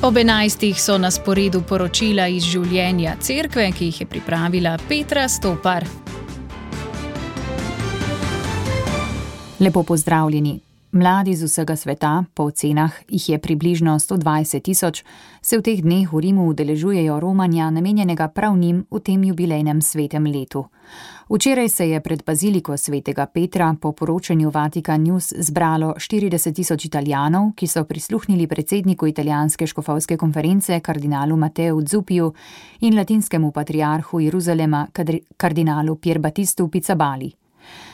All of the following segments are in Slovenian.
Ob 11. so na sporedu poročila iz življenja cerkve, ki jih je pripravila Petra Stopar. Lepo pozdravljeni. Mladi z vsega sveta, po ocenah jih je približno 120.000, se v teh dneh v Rimu udeležujejo romanja, namenjenega prav njim v tem jubilejnem svetem letu. Včeraj se je pred baziliko svetega Petra po poročanju Vatikan News zbralo 40.000 Italijanov, ki so prisluhnili predsedniku italijanske škofovske konference kardinalu Matteu Zuppiju in latinskemu patriarhu Jeruzalema kardinalu Pierbattistu Pizzabali.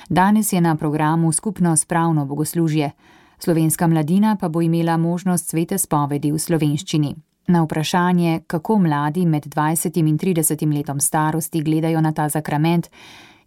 Danes je na programu skupno spravno bogoslužje. Slovenska mladina pa bo imela možnost svete spovedi v slovenščini. Na vprašanje, kako mladi med 20 in 30 letom starosti gledajo na ta sakrament,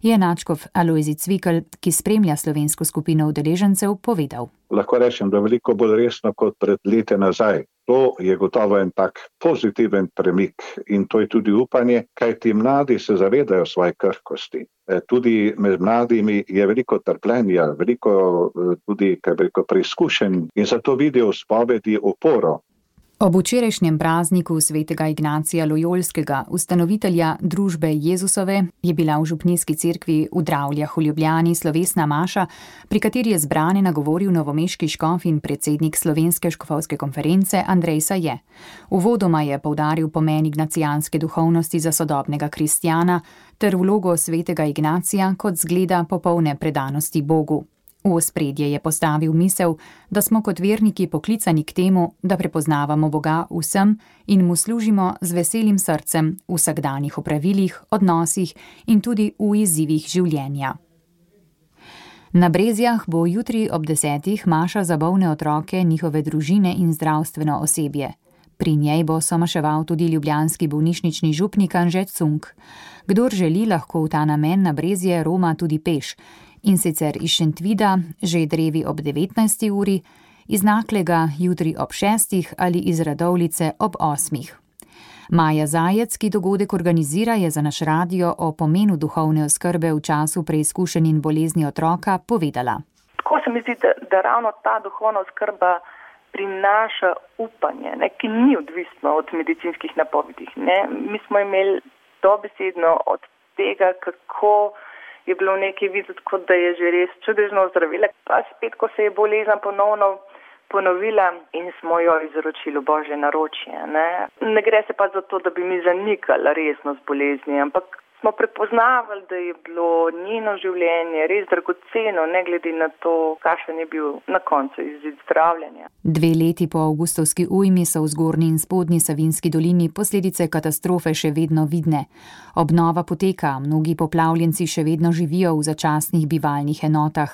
je nadškof Alojzij Cvikl, ki spremlja slovensko skupino udeležencev, povedal. Lahko rečem, da veliko bolj resno kot pred leti nazaj. To je gotovo en tak pozitiven premik in to je tudi upanje, kaj ti mladi se zavedajo svoje krhkosti. Tudi med mladimi je veliko trpljenja, veliko tudi preizkušenj in zato vidijo v spovedi oporo. Ob včerajšnjem prazniku svetega Ignacija Lojolskega, ustanovitelja družbe Jezusove, je bila v župnijski cerkvi v Dravljah v Ljubljani slovesna maša, pri kateri je zbrane nagovoril novomeški škof in predsednik Slovenske škofovske konference Andrej Saje. Uvodoma je poudaril pomen ignacijanske duhovnosti za sodobnega kristjana ter vlogo svetega Ignacija kot zgleda popolne predanosti Bogu. V ospredje je postavil misel, da smo kot verniki poklicani k temu, da prepoznavamo Boga vsem in mu služimo z veselim srcem v vsakdanjih opravilih, odnosih in tudi v izzivih življenja. Na Brezjah bo jutri ob 10. maša za bolne otroke, njihove družine in zdravstveno osebje. Pri njej bo somaševal tudi ljubljanski bolnišnični župnik Anže Cunk. Kdor želi, lahko v ta namen na Brezje roma tudi peš. In sicer iz Šentvida, že drevi ob 19. uri, iz Naklega jutri ob 6. ali iz Radovljice ob 8. Maja Zajec, ki dogodek organizira, je za naš radio o pomenu duhovne oskrbe v času preizkušenj in bolezni otroka povedala. Tako se mi zdi, da ravno ta duhovna oskrba prinaša upanje, ki ni odvisno od medicinskih napovedi. Mi smo imeli dobesedno od tega, kako je bilo nekaj videti, kot da je že res čudežno ozdravila. Pa spet, ko se je bolezen ponovno ponovila in smo jo izročili v Božje naročje. Ne gre se pa za to, da bi mi zanikali resnost bolezni, ampak smo prepoznavali, da je bilo njeno življenje res dragoceno, ne glede na to, kakšen je bil na koncu izid zdravljenja. 2 leti po avgustovski ujmi so v Zgornji in Spodnji Savinjski dolini posledice katastrofe še vedno vidne. Obnova poteka, mnogi poplavljenci še vedno živijo v začasnih bivalnih enotah.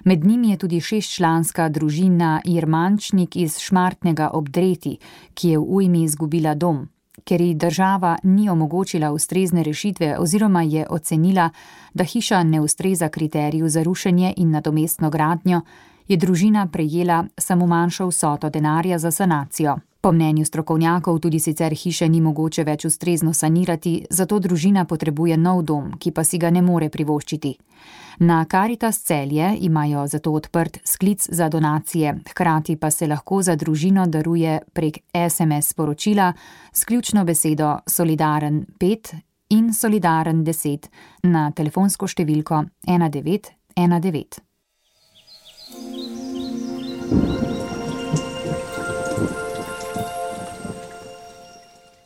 Med njimi je tudi 6-članska družina Jermančnik iz Šmartnega ob Dreti, ki je v ujmi izgubila dom. Ker ji država ni omogočila ustrezne rešitve oziroma je ocenila, da hiša ne ustreza kriteriju za rušenje in nadomestno gradnjo, je družina prejela samo manjšo vsoto denarja za sanacijo. Po mnenju strokovnjakov tudi sicer hiše ni mogoče več ustrezno sanirati, zato družina potrebuje nov dom, ki pa si ga ne more privoščiti. Na Caritas Celje imajo zato odprt sklic za donacije, hkrati pa se lahko za družino daruje prek SMS sporočila s ključno besedo Solidaren 5 in Solidaren 10 na telefonsko številko 1919.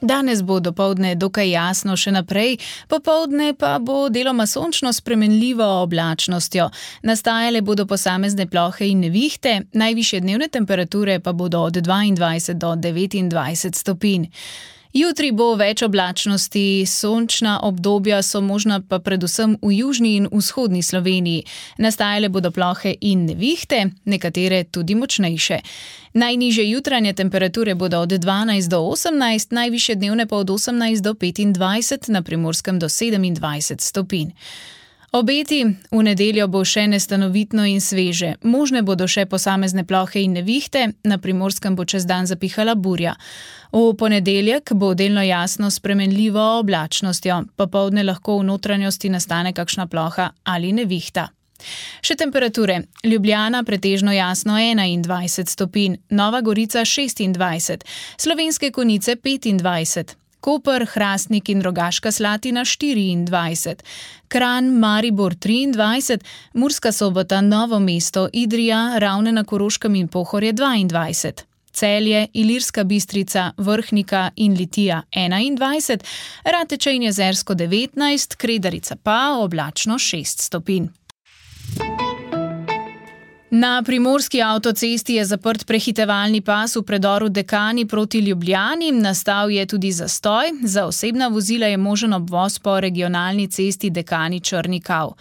Danes bo dopoldne dokaj jasno še naprej, popoldne pa bo deloma sončno spremenljivo oblačnostjo. Nastajale bodo posamezne plohe in nevihte, najvišje dnevne temperature pa bodo od 22 do 29 stopinj. Jutri bo več oblačnosti, sončna obdobja so možna pa predvsem v južni in vzhodni Sloveniji. Nastajale bodo plohe in nevihte, nekatere tudi močnejše. Najnižje jutranje temperature bodo od 12 do 18, najvišje dnevne pa od 18 do 25, na Primorskem do 27 stopinj. Obeti: v nedeljo bo še nestanovitno in sveže. Možne bodo še posamezne plohe in nevihte, na Primorskem bo čez dan zapihala burja. V ponedeljek bo delno jasno spremenljivo oblačnostjo, popoldne lahko v notranjosti nastane kakšna ploha ali nevihta. Še temperature. Ljubljana pretežno jasno 21 stopinj, Nova Gorica 26, Slovenske Konjice 25, Koper, Hrastnik in Rogaška Slatina 24, Kranj, Maribor 23, Murska Sobota, Novo mesto, Idrija, Ravne na Koroškem in Pohorje 22, Celje, Ilirska Bistrica, Vrhnika in Litija 21, Rateče in Jezersko 19, Kredarica pa oblačno 6 stopinj. Na primorski avtocesti je zaprt prehitevalni pas v predoru Dekani proti Ljubljani, nastal je tudi zastoj, za osebna vozila je možen obvoz po regionalni cesti Dekani-Črni Kav.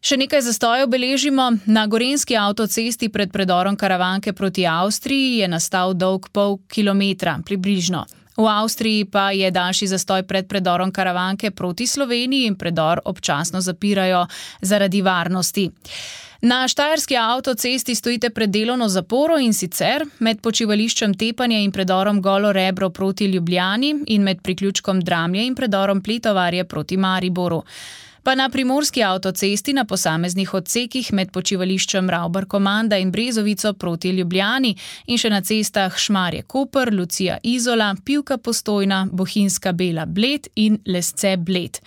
Še nekaj zastojev beležimo. Na gorenjski avtocesti pred predorom Karavanke proti Avstriji je nastal dolg pol kilometra, približno. V Avstriji pa je daljši zastoj pred predorom Karavanke proti Sloveniji in predor občasno zapirajo zaradi varnosti. Na štajerski avtocesti stojite pred delovno zaporo, in sicer med počivališčem Tepanje in predorom Golo Rebro proti Ljubljani in med priključkom Dramlje in predorom Pletovarje proti Mariboru. Pa na primorski avtocesti na posameznih odsekih med počivališčem Ravbar-Komanda in Brezovico proti Ljubljani in še na cestah Šmarje-Koper, Lucija-Izola, Pivka-Postojna, Bohinjska-Bela-Bled in Lesce-Bled.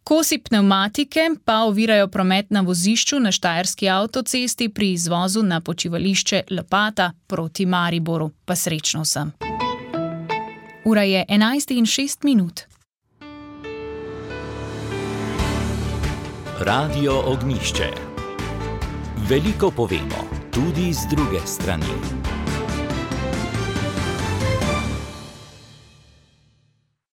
Kosi pnevmatike pa ovirajo promet na vozišču na štajerski avtocesti pri izvozu na počivališče Lopata proti Mariboru. Pa srečno vsem. Ura je 11:06. Radio Ognjišče. Veliko povemo, tudi z druge strani.